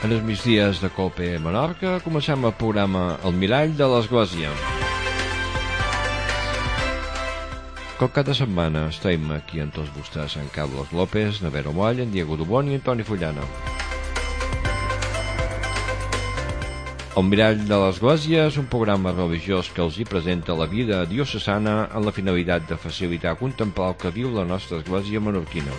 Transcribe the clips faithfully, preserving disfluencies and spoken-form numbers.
En els migdies de Cope Menorca comencem el programa El Mirall de l'Església. Com cada setmana estem aquí amb tots vostès, en Carlos López, Nevero Moll, en Diego Dubón i en Toni Fullana. El Mirall de l'Església és un programa religiós que els hi presenta la vida diocesana amb la finalitat de facilitar contemplar el que viu la nostra església menorquina.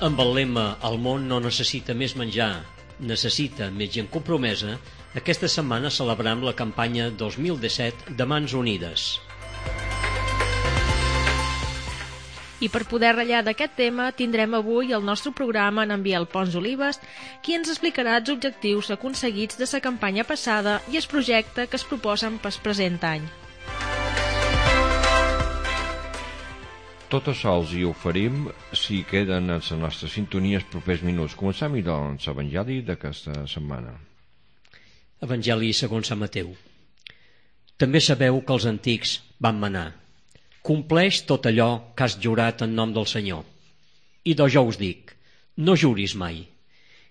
Amb el lema "El món no necessita més menjar, necessita més gent compromesa", aquesta setmana celebrem la campanya dos mil disset de Mans Unides. I per poder ratllar d'aquest tema tindrem avui el nostre programa en Biel Pons Olives, qui ens explicarà els objectius aconseguits de la campanya passada i el projecte que es proposen pel present any. Tot això els hi oferim si queden en la nostra sintonia els propers minuts. Comencem, doncs, l'Evangeli d'aquesta setmana. Evangeli segons Sant Mateu. També sabeu que els antics van manar: compleix tot allò que has jurat en nom del Senyor. I doncs jo us dic, no juris mai.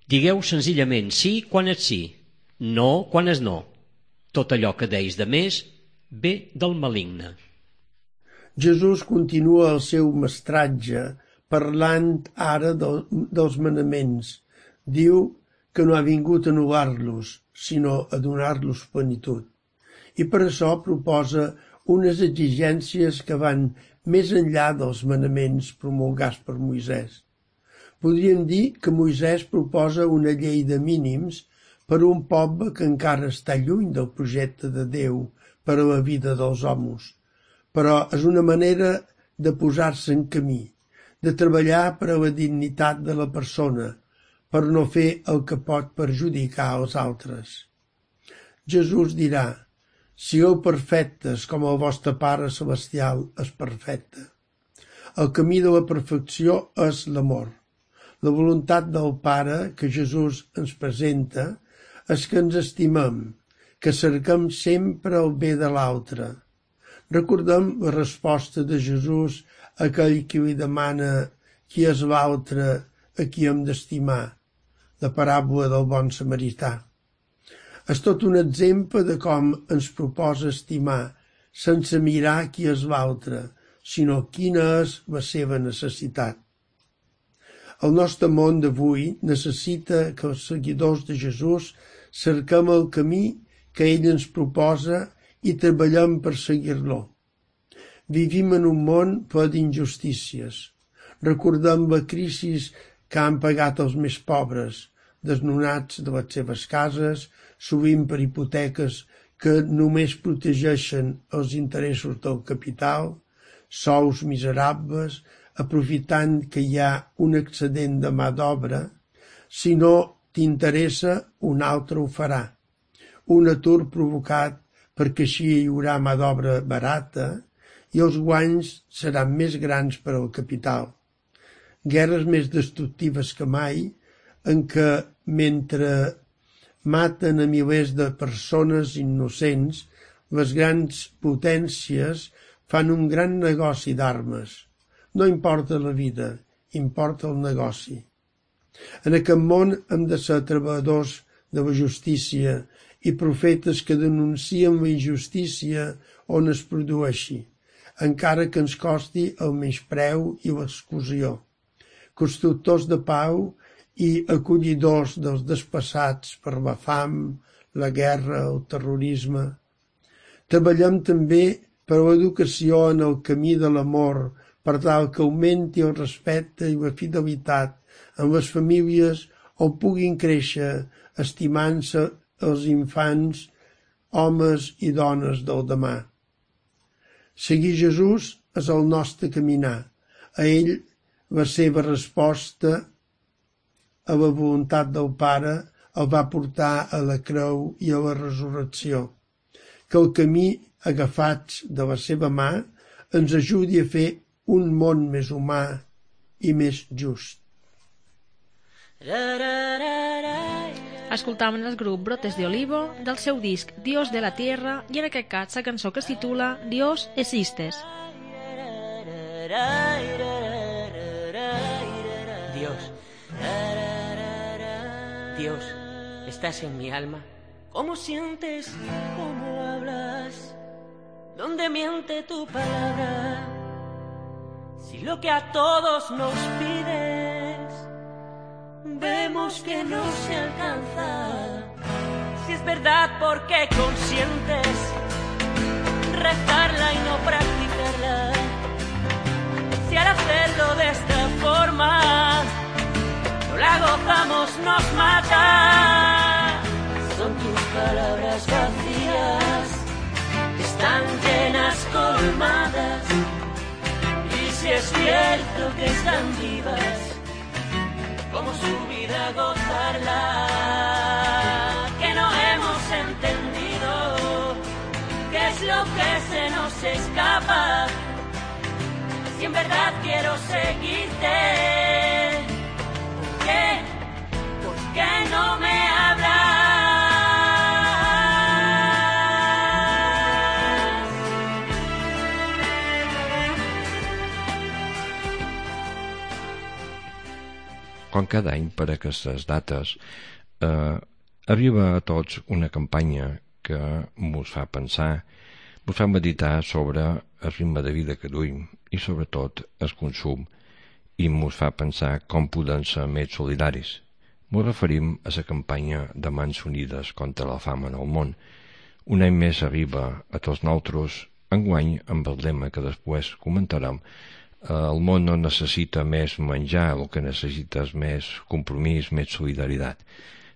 Digueu senzillament sí quan és sí, no quan és no. Tot allò que deis de més ve del maligne. Jesús continua el seu mestratge parlant ara de, dels manaments. Diu que no ha vingut a anul·lar-los, sinó a donar-los plenitud. I per això proposa unes exigències que van més enllà dels manaments promulgats per Moisès. Podríem dir que Moisès proposa una llei de mínims per a un poble que encara està lluny del projecte de Déu per a la vida dels homes. Però és una manera de posar-se en camí, de treballar per a la dignitat de la persona, per no fer el que pot perjudicar als altres. Jesús dirà: sigueu perfectes com el vostre Pare Celestial és perfecte. El camí de la perfecció és l'amor. La voluntat del Pare que Jesús ens presenta és que ens estimem, que cerquem sempre el bé de l'altre. Recordem la resposta de Jesús a aquell qui li demana qui és l'altre a qui hem d'estimar, la paràbola del bon samarità. És tot un exemple de com ens proposa estimar, sense mirar qui és l'altre, sinó quina és la seva necessitat. El nostre món d'avui necessita que els seguidors de Jesús cerquem el camí que ell ens proposa i treballem per seguir-lo. Vivim en un món ple d'injustícies. Recordem la crisi que han pagat els més pobres, desnonats de les seves cases, sovint per hipoteques que només protegeixen els interessos del capital, sous miserables, aprofitant que hi ha un excedent de mà d'obra. Si no t'interessa, un altre ho farà. Un atur provocat perquè així hi haurà mà d'obra barata i els guanys seran més grans per al capital. Guerres més destructives que mai, en què, mentre maten a milers de persones innocents, les grans potències fan un gran negoci d'armes. No importa la vida, importa el negoci. En aquest món hem de ser treballadors de la justícia i profetes que denuncien la injustícia on es produeixi, encara que ens costi el menyspreu i l'exclusió. Constructors de pau i acollidors dels desplaçats per la fam, la guerra, el terrorisme. Treballem també per l'educació en el camí de l'amor, per tal que augmenti el respecte i la fidelitat en les famílies on puguin créixer estimant-se els infants, homes i dones del demà. Seguir Jesús és el nostre caminar. A ell la seva resposta a la voluntat del Pare el va portar a la creu i a la resurrecció. Que el camí agafats de la seva mà ens ajudi a fer un món més humà i més just. Escoltaven el grup Brotes de Olivo del seu disc Dios de la Tierra i en aquest cas la cançó que es titula Dios Existes. Dios Dios, estás en mi alma. ¿Cómo sientes? ¿Cómo hablas? ¿Dónde miente tu palabra? Si lo que a todos nos pides, vemos que no se alcanza. Si es verdad, ¿por qué consientes rezarla y no practicarla? Si al hacerlo de esta forma no la gozamos, nos mata. Son tus palabras vacías, están llenas, colmadas. Y si es cierto que están vivas, ¿cómo subir a gozarla? Que no hemos entendido qué es lo que se nos escapa. Si en verdad quiero seguirte, ¿por qué? ¿Por qué no me hablas? Com cada any per aquestes dates eh, arriba a tots una campanya que mos fa pensar, mos fa meditar sobre el ritme de vida que duim i sobretot el consum, i mos fa pensar com podem ser més solidaris. Mos referim a la campanya de Mans Unides contra la fam en el món. Un any més arriba a tots nosaltres, enguany amb el lema que després comentarem. El món no necessita més menjar, el que necessita és més compromís, més solidaritat.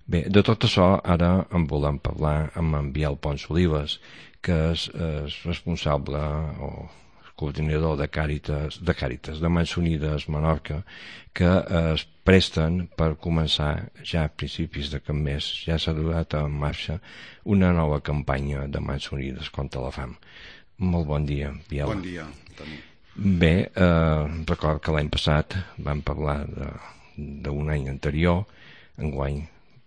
Bé, de tot això ara en volem parlar amb en Biel Pons Olives, que és, és responsable o coordinador de Càritas, de Càritas, de Mans Unides Menorca, que es presten per començar ja a principis d'aquest mes, ja s'ha durat en marxa una nova campanya de Mans Unides contra la fam. Molt bon dia, Biel. Bon dia, Toni. Bé, eh, record que l'any passat vam parlar d'un any anterior, enguany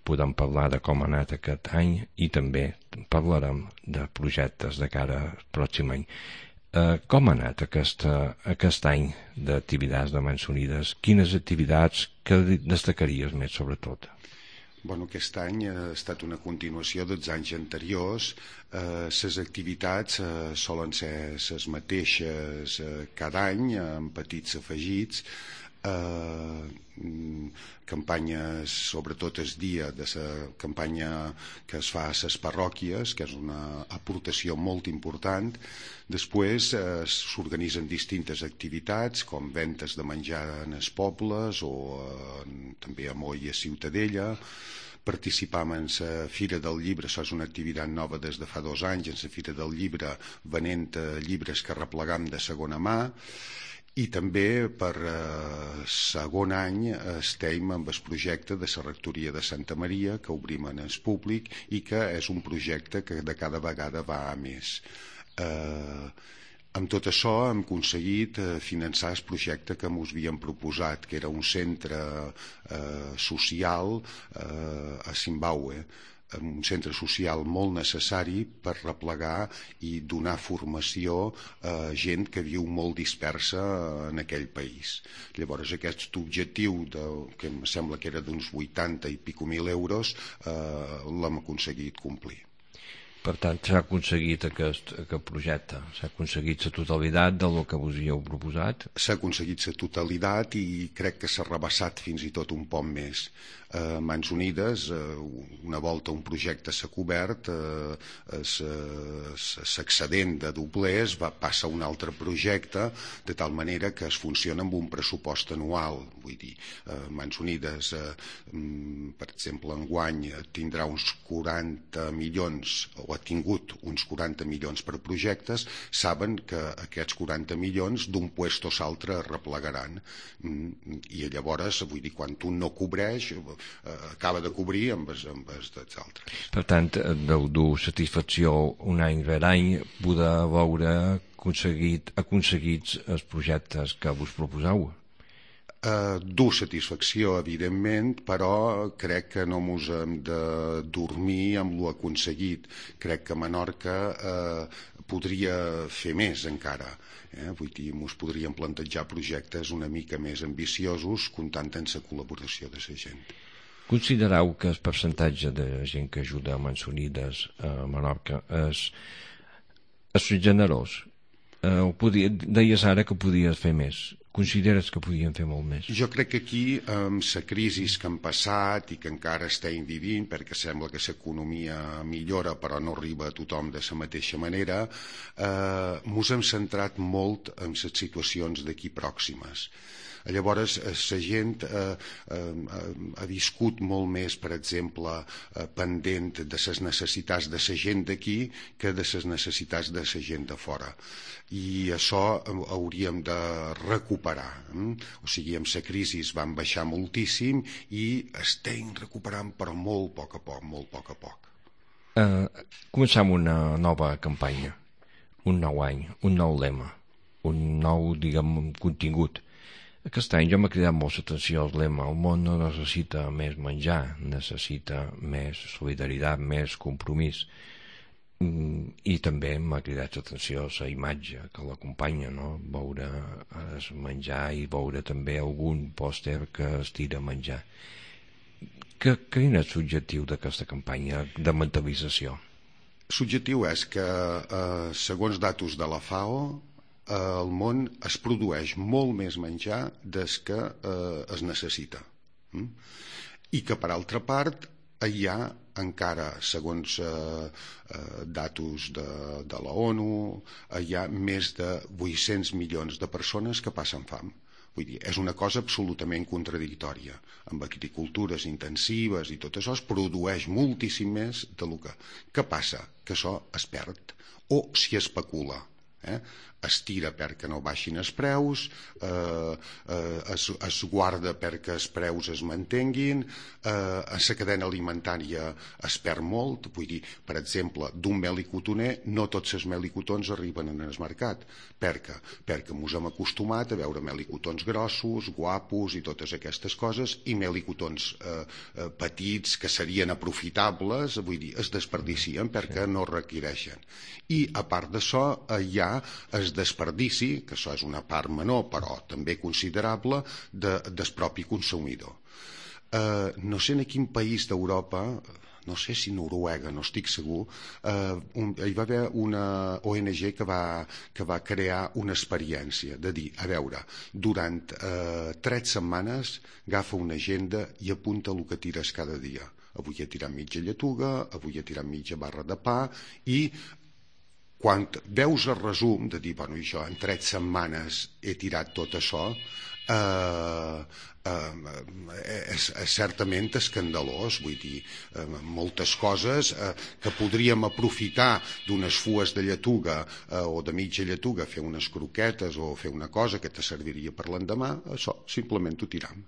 podem parlar de com ha anat aquest any i també parlarem de projectes de cara al pròxim any. Eh, com ha anat aquesta, aquest any d'activitats de Mans Unides? Quines activitats que destacaries més, sobretot? Bueno, aquest any ha estat una continuació dels anys anteriors. Les eh, activitats eh, solen ser les mateixes eh, cada any, amb petits afegits. Eh, campanyes, sobretot el dia de la campanya que es fa a les parròquies, que és una aportació molt important. Després eh, s'organitzen distintes activitats, com ventes de menjar en els pobles o eh, també a Moll i a Ciutadella. Participam en la Fira del Llibre, això és una activitat nova des de fa dos anys, en la Fira del Llibre venent llibres que replegam de segona mà. I també per eh, segon any estem amb el projecte de la rectoria de Santa Maria, que obrim en el públic i que és un projecte que de cada vegada va a més. Eh, amb tot això hem aconseguit eh, finançar el projecte que ens havíem proposat, que era un centre eh, social eh, a Zimbabue, un centre social molt necessari per replegar i donar formació a gent que viu molt dispersa en aquell país. Llavors aquest objectiu, de, que em sembla que era d'uns vuitanta i pico mil euros, eh, l'hem aconseguit complir. Per tant, s'ha aconseguit aquest, aquest projecte, s'ha aconseguit la totalitat del que vos havíeu proposat? S'ha aconseguit la totalitat i crec que s'ha rebassat fins i tot un poc més. Eh, Mans Unides, eh, una volta un projecte s'ha cobert, eh, l'excedent de doblers va passar a un altre projecte, de tal manera que es funciona amb un pressupost anual. Vull dir, eh, Mans Unides, eh, per exemple, enguany tindrà uns quaranta milions, o ha tingut uns quaranta milions per projectes, saben que aquests quaranta milions d'un puesto a l'altre es replegaran. I llavors, vull dir, quan un no cobreix, acaba de cobrir amb els, amb els dels altres. Per tant, deu dur satisfacció un any rere any poder veure aconseguit, aconseguits els projectes que vos proposeu. Uh, dur satisfacció, evidentment, però crec que no mos hem de dormir amb lo aconseguit. Crec que Menorca uh, podria fer més encara. Eh? Vull dir, mos podríem plantejar projectes una mica més ambiciosos, comptant amb la col·laboració de la gent. Considereu que el percentatge de gent que ajuda a Mansonides a Menorca és, és generós? Eh, podia, deies ara que podies fer més. Consideres que podien fer molt més? Jo crec que aquí, amb la crisi que han passat i que encara estem vivint, perquè sembla que l'economia millora però no arriba a tothom de la mateixa manera, eh, mos hem centrat molt en les situacions d'aquí pròximes. Llavors, la gent eh, eh, ha viscut molt més, per exemple, eh, pendent de les necessitats de la gent d'aquí que de les necessitats de la gent de fora. I això hauríem de recuperar. Eh? O sigui, amb la crisi van baixar moltíssim i estem recuperant, però molt a poc a poc, molt a poc a poc. Eh, començam una nova campanya, un nou any, un nou lema, un nou, diguem, contingut. Aquest any jo m'ha cridat molt l'atenció el lema: el món no necessita més menjar, necessita més solidaritat, més compromís. I també m'ha cridat l'atenció la imatge que l'acompanya, no? Veure el menjar i veure també algun pòster que es tira a menjar. Que, quin és l'objectiu d'aquesta campanya de mentalització? L'objectiu és que, eh, segons datos de la FAO, al món es produeix molt més menjar des que eh, es necessita. Mm? I que, per altra part, hi ha encara, segons eh, eh, datos de, de la ONU, hi ha més de vuit-cents milions de persones que passen fam. Vull dir, és una cosa absolutament contradictòria. Amb agricultures intensives i tot això es produeix moltíssim més del que... Què passa? Que això es perd o s'hi especula. Eh? Es tira perquè no baixin els preus, eh, eh, es, es guarda perquè els preus es mantenguin, eh, a la cadena alimentària es perd molt. Vull dir, per exemple, d'un mel i cotoner, no tots els mel i cotons arriben en el mercat. Per què? Perquè ens hem acostumat a veure mel i cotons grossos, guapos i totes aquestes coses, i mel i cotons eh, eh, petits que serien aprofitables, vull dir, es desperdicien perquè no requereixen. I a part d'això hi ha el desperdici, que això és una part menor però també considerable, de, del propi consumidor. Eh, no sé en quin país d'Europa, no sé si Noruega, no estic segur, eh, un, hi va haver una O N G que va, que va crear una experiència de dir, a veure, durant eh, tres setmanes agafa una agenda i apunta el que tires cada dia. Avui he tirat mitja lletuga, avui he tirat mitja barra de pa, i quan veus el resum de dir, bueno, jo en tres setmanes he tirat tot això, eh, eh, és, és certament escandalós. Vull dir, eh, moltes coses eh, que podríem aprofitar d'unes fues de lletuga eh, o de mitja lletuga, fer unes croquetes o fer una cosa que te serviria per l'endemà, això simplement ho tiram.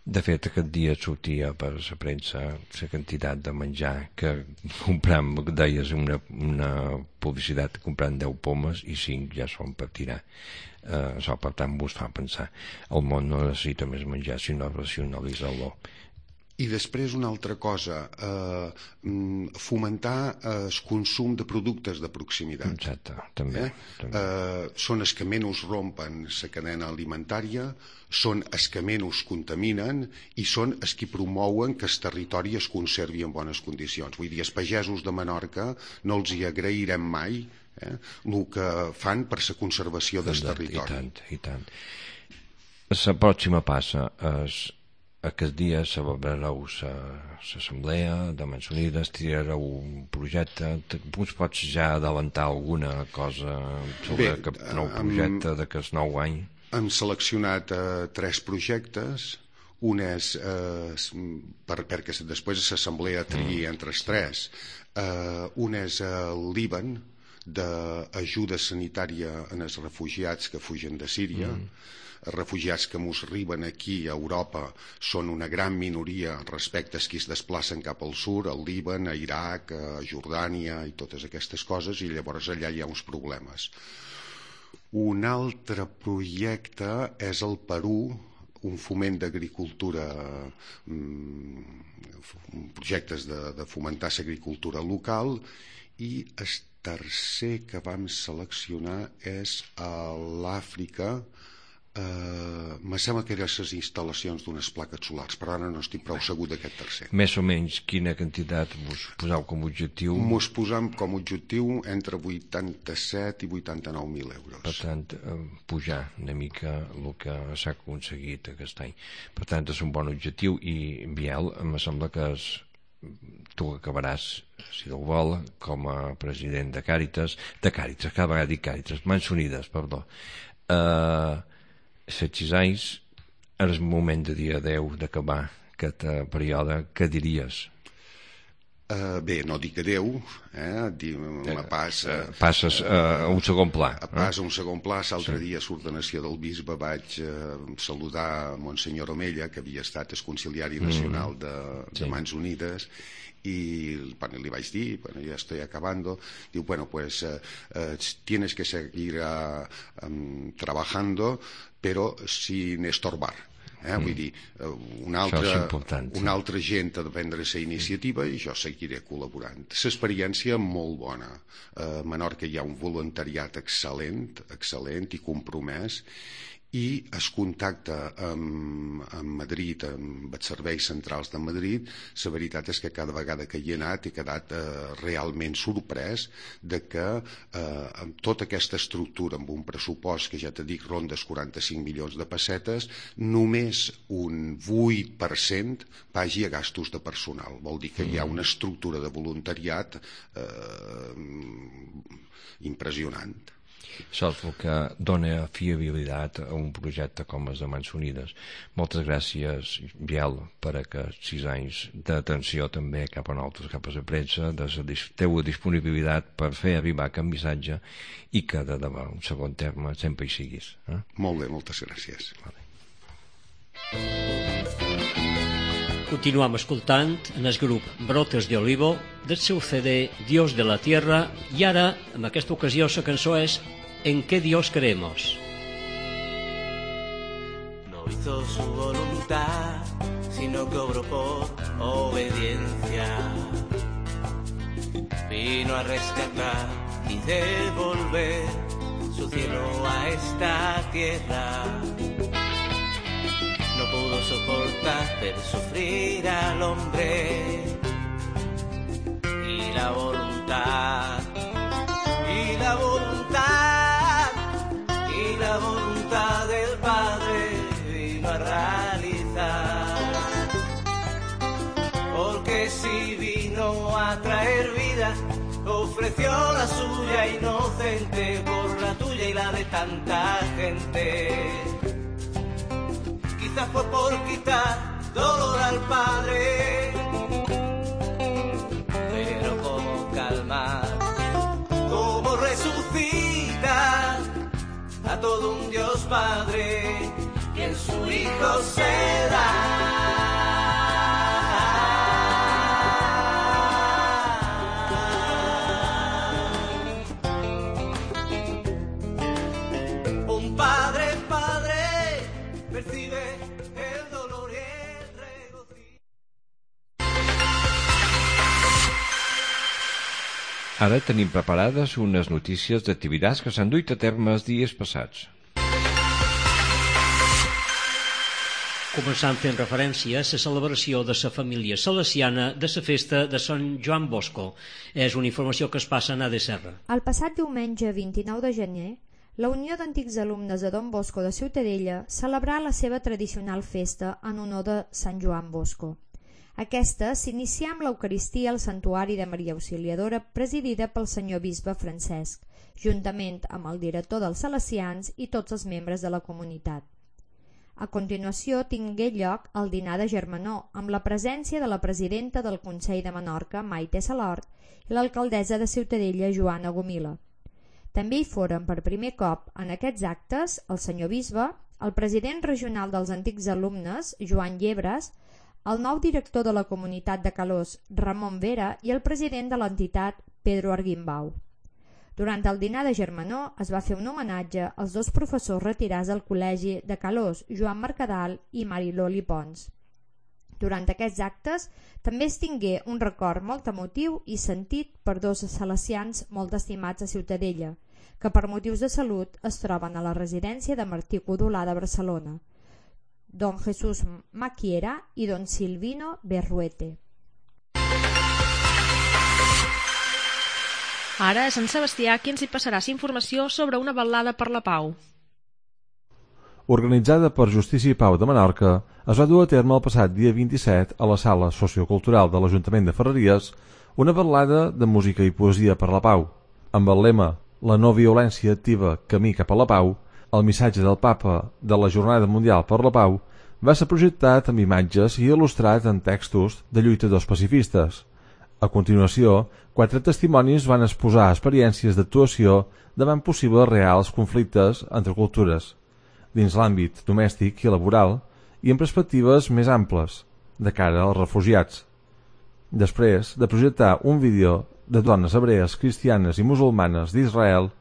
De fet, aquest dia sortia per la premsa la quantitat de menjar que comprem, deies una, una publicitat comprant deu pomes i cinc ja són per tirar. Eh, això, per tant, vos fa pensar. El món no necessita més menjar, sinó racionalitzar-lo. I després una altra cosa, eh, fomentar el consum de productes de proximitat. Exacte, també. Eh? també. Eh, són els que menys rompen la cadena alimentària, són els que menys contaminen i són els que promouen que el territori es conservi en bones condicions. Vull dir, els pagesos de Menorca no els hi agrairem mai eh, el que fan per la conservació del territori. I tant, i tant. La pròxima passa és... Aquest dia celebrareu l'assemblea de Mansonides, tirareu un projecte. Us pots ja adelantar alguna cosa sobre aquest nou projecte d'aquest nou any? Hem seleccionat eh, tres projectes. Un és, eh, per, perquè després l'assemblea triï entre els tres, eh, un és el Líban, d'ajuda sanitària en els refugiats que fugen de Síria. Mm. Els refugiats que mos arriben aquí a Europa són una gran minoria respecte als qui es desplacen cap al sud, al Líban, a Iraq, a Jordània i totes aquestes coses, i llavors allà hi ha uns problemes. Un altre projecte és el Perú, un foment d'agricultura, um, projectes de, de fomentar l'agricultura local, i el tercer que vam seleccionar és a l'Àfrica, Uh, me sembla que eren les instal·lacions d'unes plaques solars, però ara no estic prou segur d'aquest tercer. Més o menys quina quantitat vos poseu com a objectiu? Mos posam com a objectiu entre vuitanta-set i vuitanta-nou mil euros. Per tant, eh, pujar una mica el que s'ha aconseguit aquest any. Per tant, és un bon objectiu i, Biel, em sembla que és, tu acabaràs, si Déu vol, com a president de Càritas, de Càritas, cada vegada dic Càritas, Mans Unides, perdó. Eh... set sis anys, és el moment de dir adeu, d'acabar aquest període. Què diries? Uh, bé, no dic adeu, eh? Dic, me passa... Uh, passes uh, a un segon pla. Uh, passa a un segon pla. L'altre sí. dia, a l'ordenació del bisbe, vaig uh, saludar Monsenyor Omella, que havia estat el conciliari nacional de, de sí. Mans Unides, y bueno, le vais a decir, bueno, ya estoy acabando, digo, bueno, pues uh, uh, tienes que seguir uh, um, trabajando, pero sin estorbar. Eh? Mm. Vull dir, uh, una altra, una altra gent ha de prendre la iniciativa i jo seguiré col·laborant. L'experiència molt bona. A Menorca hi ha un voluntariat excel·lent, excel·lent i compromès, i es contacta amb, amb Madrid, amb els serveis centrals de Madrid. La veritat és que cada vegada que hi he anat he quedat eh, realment sorprès de que eh, amb tota aquesta estructura, amb un pressupost que ja te dic ronda els quaranta-cinc milions de pessetes, només un vuit per cent vagi a gastos de personal. Vol dir que hi ha una estructura de voluntariat eh, impressionant. Això és el que dona fiabilitat a un projecte com el de Mans Unides. Moltes gràcies, Biel, per aquests sis anys d'atenció també cap a nosaltres, cap a la premsa, de la teua disponibilitat per fer arribar aquest missatge i que de debò, un segon terme, sempre hi siguis. Eh? Molt bé, moltes gràcies. Vale. Continuam escoltant en el grup Brotes de Olivo del seu C D Dios de la Tierra i ara, en aquesta ocasió, la cançó és ¿En qué Dios creemos? No hizo su voluntad, sino que obró por obediencia. Vino a rescatar y devolver su cielo a esta tierra. No pudo soportar ver sufrir al hombre y la voluntad, y la voluntad, y la voluntad del Padre vino a realizar. Porque si vino a traer vida, ofreció la suya inocente por la tuya y la de tanta gente. Quizás fue por quitar dolor al Padre, pero cómo calmar, cómo resucitar a todo un Dios Padre que en su Hijo se da. Un Padre, Padre, percibe el dolor y el regocijo. Ara tenim preparades unes notícies d'activitats que s'han duit a terme els dies passats. Començant fent referència a la celebració de la família salesiana de la festa de Sant Joan Bosco. És una informació que es passa a A D Serra. El passat diumenge vint-i-nou de gener, la Unió d'Antics Alumnes de Don Bosco de Ciutadella celebrà la seva tradicional festa en honor de Sant Joan Bosco. Aquesta s'inicià amb l'Eucaristia al Santuari de Maria Auxiliadora presidida pel senyor bisbe Francesc, juntament amb el director dels Salesians i tots els membres de la comunitat. A continuació tingué lloc el dinar de germanor amb la presència de la presidenta del Consell de Menorca, Maite Salort, i l'alcaldessa de Ciutadella, Joana Gomila. També hi foren per primer cop en aquests actes el senyor bisbe, el president regional dels Antics Alumnes, Joan Llebres, el nou director de la comunitat de Calós, Ramon Vera, i el president de l'entitat, Pedro Arguimbau. Durant el dinar de germanor es va fer un homenatge als dos professors retirats del col·legi de Calós, Joan Mercadal i Mariloli Pons. Durant aquests actes també es tingué un record molt emotiu i sentit per dos salesians molt estimats a Ciutadella, que per motius de salut es troben a la residència de Martí Codolà de Barcelona, don Jesús Maquiera i don Silvino Berruete. Ara és en Sebastià qui ens hi passarà informació sobre una ballada per la pau. Organitzada per Justícia i Pau de Menorca, es va dur a terme el passat dia vint-i-set a la Sala Sociocultural de l'Ajuntament de Ferreries una ballada de música i poesia per la pau. Amb el lema «La no violència activa, camí cap a la pau», el missatge del Papa de la Jornada Mundial per la Pau va ser projectat amb imatges i il·lustrat en textos de lluitadors pacifistes. A continuació, quatre testimonis van exposar experiències d'actuació davant possibles reals conflictes entre cultures, dins l'àmbit domèstic i laboral, i en perspectives més amples, de cara als refugiats. Després de projectar un vídeo de dones hebrees, cristianes i musulmanes d'Israel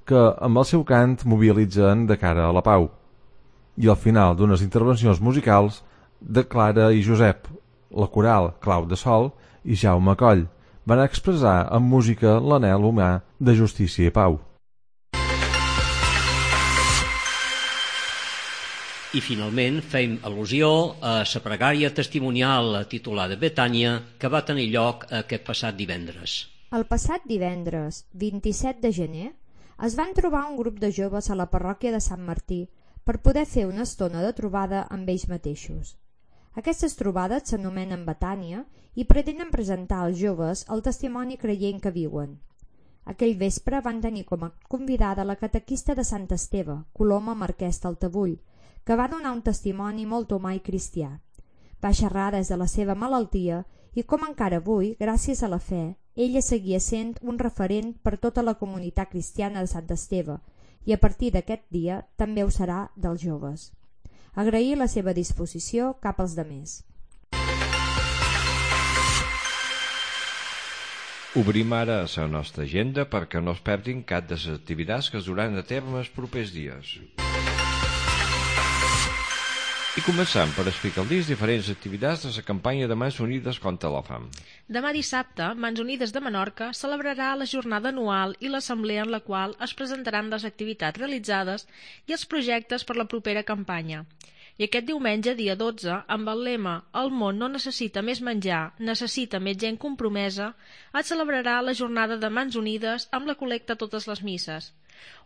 que amb el seu cant mobilitzen de cara a la pau. I al final d'unes intervencions musicals de Clara i Josep, la coral Clau de Sol i Jaume Coll van expressar amb música l'anhel humà de justícia i pau. I finalment fem al·lusió a la pregària testimonial titulada Betània que va tenir lloc aquest passat divendres. El passat divendres, vint-i-set de gener, es van trobar un grup de joves a la parròquia de Sant Martí per poder fer una estona de trobada amb ells mateixos. Aquestes trobades s'anomenen Betània i pretenen presentar als joves el testimoni creient que viuen. Aquell vespre van tenir com a convidada la catequista de Sant Esteve, Coloma Marquès d'Altavull, que va donar un testimoni molt humà i cristià. Va xerrar des de la seva malaltia i com encara avui, gràcies a la fe, ella seguia sent un referent per tota la comunitat cristiana de Sant Esteve i a partir d'aquest dia també ho serà dels joves. Agrair la seva disposició cap als demés. Obrim ara la nostra agenda perquè no es perdin cap de les activitats que es duran a terme els propers dies. I començam per explicar les diferents activitats de la campanya de Mans Unides contra la fam. Demà dissabte, Mans Unides de Menorca celebrarà la jornada anual i l'assemblea en la qual es presentaran les activitats realitzades i els projectes per la propera campanya. I aquest diumenge, dia dotze, amb el lema «El món no necessita més menjar, necessita més gent compromesa», es celebrarà la jornada de Mans Unides amb la col·lecta a totes les misses.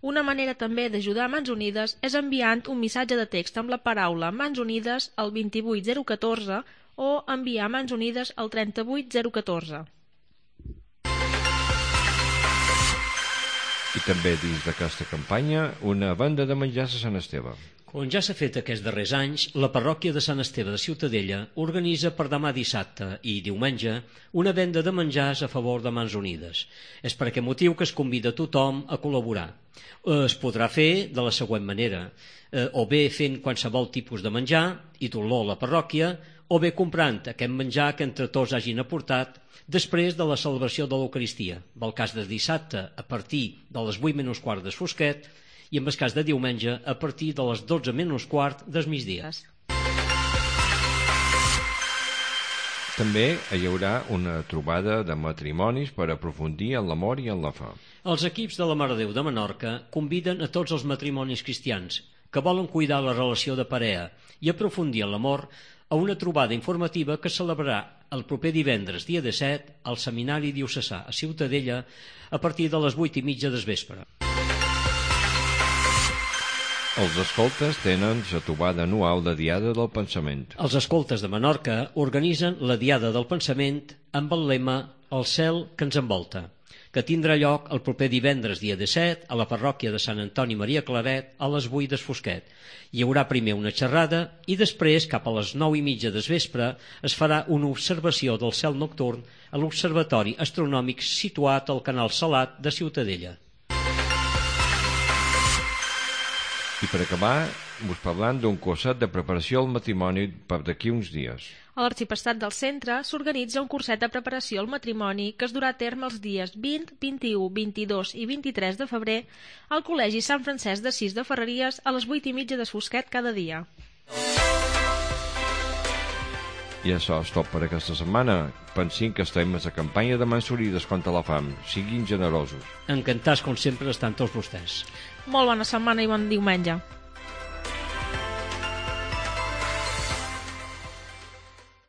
Una manera també d'ajudar Mans Unides és enviant un missatge de text amb la paraula Mans Unides al vint-i-vuit zero catorze o enviar Mans Unides al trenta-vuit zero catorze. I també dins d'aquesta campanya una venda de menjars a Sant Esteve. Com ja s'ha fet aquests darrers anys, la parròquia de Sant Esteve de Ciutadella organitza per demà dissabte i diumenge una venda de menjars a favor de Mans Unides. És per aquest motiu que es convida tothom a col·laborar. Es podrà fer de la següent manera, eh, o bé fent qualsevol tipus de menjar i dur-lo a la parròquia, o bé comprant aquest menjar que entre tots hagin aportat després de la celebració de l'Eucaristia. En el cas de dissabte, a partir de les vuit menys quart del fosquet, i en el cas de diumenge a partir de les dotze menys quart del migdia. També hi haurà una trobada de matrimonis per aprofundir en l'amor i en la fe. Els equips de la Mare de Déu de Menorca conviden a tots els matrimonis cristians que volen cuidar la relació de parella i aprofundir en l'amor a una trobada informativa que es celebrarà el proper divendres, dia disset, al Seminari Diocesà a Ciutadella a partir de les vuit i mitja del vespre. Els escoltes tenen la trobada anual de Diada del Pensament. Els escoltes de Menorca organitzen la Diada del Pensament amb el lema El cel que ens envolta, que tindrà lloc el proper divendres dia disset a la parròquia de Sant Antoni Maria Claret a les vuit del fosquet. Hi haurà primer una xerrada i després, cap a les nou i mitja del vespre, es farà una observació del cel nocturn a l'Observatori Astronòmic situat al Canal Salat de Ciutadella. I per acabar, us parlant d'un curset de preparació al matrimoni per d'aquí uns dies. A l'Arxipestat del Centre s'organitza un curset de preparació al matrimoni que es durà a terme els dies vint, vint-i-u, vint-i-dos i vint-i-tres de febrer al Col·legi Sant Francesc d'Assís de Ferreries a les vuit i mitja del fosquet cada dia. I això és tot per aquesta setmana. Pensin que estem a la campanya de Mansorides contra la fam. Siguin generosos. Encantats, com sempre, estan tots vostès. Molt bona setmana i bon diumenge.